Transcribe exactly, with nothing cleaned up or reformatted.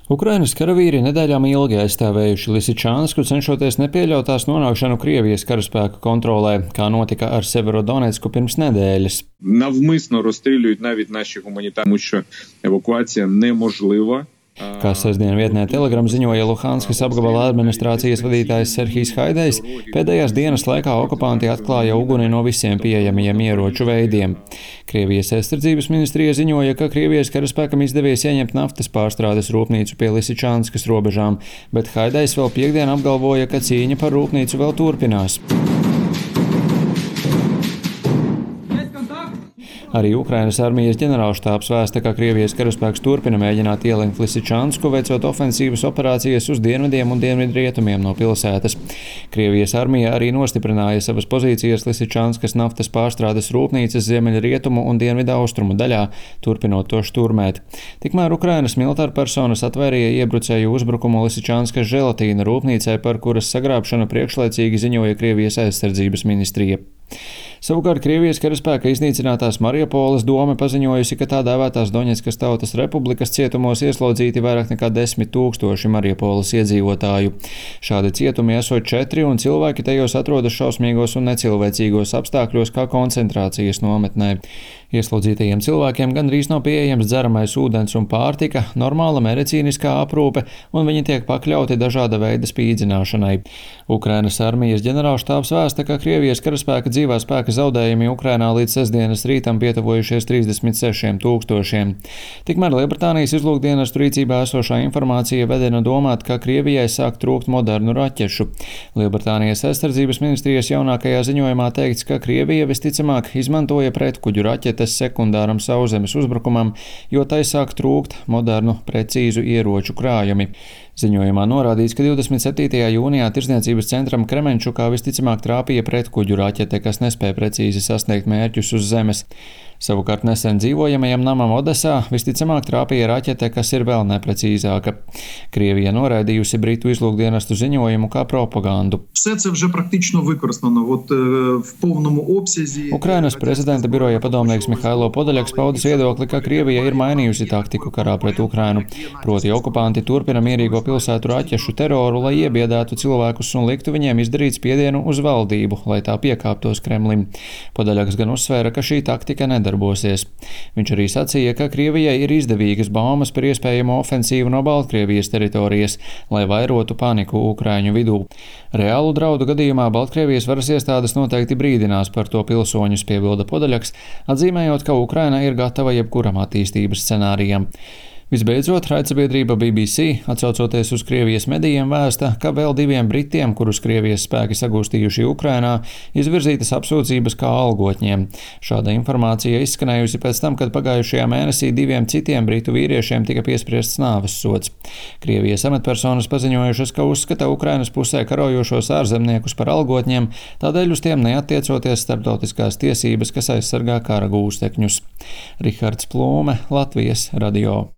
Ukrainas karavīri nedēļām ilgi aizstāvējuši Lisičansku, cenšoties nepieļaut tās nonākšanu Krievijas karaspēku kontrolē, kā notika ar Severodonecku pirms nedēļas. Навмисно розстрілюють навіть наші гуманітарні, тому що евакуація неможлива. Kā sestdien vietnē Telegram ziņoja Luhanskas apgabala administrācijas vadītājs Serhijs Haidejs, pēdējās dienas laikā okupanti atklāja uguni no visiem pieejamajiem ieroču veidiem. Krievijas aizsardzības ministrija ziņoja, ka Krievijas karaspēkam izdevies ieņemt naftas pārstrādes rūpnīcu pie Lisičanskas robežām, bet Haidejs vēl piekdien apgalvoja, ka cīņa par rūpnīcu vēl turpinās. Arī Ukrainas armijas ģenerālštābs vēsta, ka Krievijas karaspēks turpina mēģināt ielenkt Lisičansku, veicot ofensīvas operācijas uz dienvidiem un dienvidrietumiem no pilsētas. Krievijas armija arī nostiprināja savas pozīcijas Lisičanskas naftas pārstrādes rūpnīcas ziemeļrietumu un dienvidaustrumu daļā, turpinot to šturmēt. Tikmēr Ukrainas militāra personas atvērīja iebrucēju uzbrukumu Lisičanskas želatīna rūpnīcai, par kuras sagrābšanu priekšlaicīgi ziņoja Krievijas aizsardzības ministrija. Savukārt Krievijas karaspēka iznīcinātās Mariupoles dome paziņojusi, ka tā dēvētās Doņetskas Tautas Republikas cietumos ieslodzīti vairāk nekā desmit tūkstoši Mariupoles iedzīvotāju. Šādi cietumi esot četri, un cilvēki tajos atrodas šausmīgos un necilvēcīgos apstākļos kā koncentrācijas nometnē. Ieslodzītajiem cilvēkiem gandrīz nav pieejams dzeramais ūdens un pārtika, normāla medicīniskā aprūpe, un viņi tiek pakļauti dažāda veida spīdzināšanai. Ukrainas armijas ģenerālštābs vēsta, ka Krievijas karaspēka dzīvā spēka zaudējumi Ukrainā līdz sestdienas rītam pietuvojušies trīsdesmit sešiem tūkstošiem. Tikmēr Lielbritānijas izlūkdienestu rīcībā esošā informācija vedina domāt, ka Krievijai sāk trūkt modernu raķešu. Lielbritānijas aizsardzības ministrijas jaunākajā ziņojumā teikts, ka Krievija visticamāk izmantoja pretkuģu raķetes sekundāram sauszemes uzbrukumam, jo tai sāk trūkt modernu, precīzu ieroču krājumi. Ziņojumā norādīts, ka divdesmit septītajā jūnijā Tirdzniecības centram Kremenčukā visticamāk trāpīja pretkuģu raķete, kas nespēja precīzi sasniegt mērķus uz zemes. Savukārt nesen dzīvojamajam namam Odesā visticamāk trāpīja raķete, kas ir vēl neprecīzāka. Krievija noraidījusi Britu izlūkdienestu ziņojumu kā propagandu. Ukrainas prezidenta biroja padomnieks Mihailo Podaļaks paudis viedokli, ka Krievija ir mainījusi taktiku karā pret Ukrainu. Proti okupanti turpina mierīgo pilsētu raķešu teroru, lai iebiedētu cilvēkus un liktu viņiem izdarīt spiedienu uz valdību, lai tā piekāptos Kremlim. Podaļaks gan uzsvēra, ka šī taktika nedarbosies. Viņš arī sacīja, ka Krievijai ir izdevīgas baumas par iespējamo ofensīvu no Baltkrievijas teritorijas, lai vairotu paniku Ukraiņu vidū. Reālu draudu gadījumā Baltkrievijas varas iestādes noteikti brīdinās par to pilsoņus, piebilda Podaļaks, atzīmējot, ka Ukraina ir gatava jebkuram attīstības scenārijam. Visbeidzot, raidsabiedrība B B C, atsaucoties uz Krievijas medijiem, vēsta, ka vēl diviem britiem, kurus Krievijas spēki sagūstījuši Ukrainā, izvirzītas apsūdzības kā algotņiem. Šāda informācija izskanējusi pēc tam, kad pagājušajā mēnesī diviem citiem britu vīriešiem tika piespriests nāves sods. Krievijas amatpersonas paziņojušas, ka uzskata Ukrainas pusē karojošos ārzemniekus par algotņiem, tādēļ uz tiem neattiecoties starptautiskās tiesības, kas aizsargā kara gūstekņus. Rihards Plūme, Latvijas radio.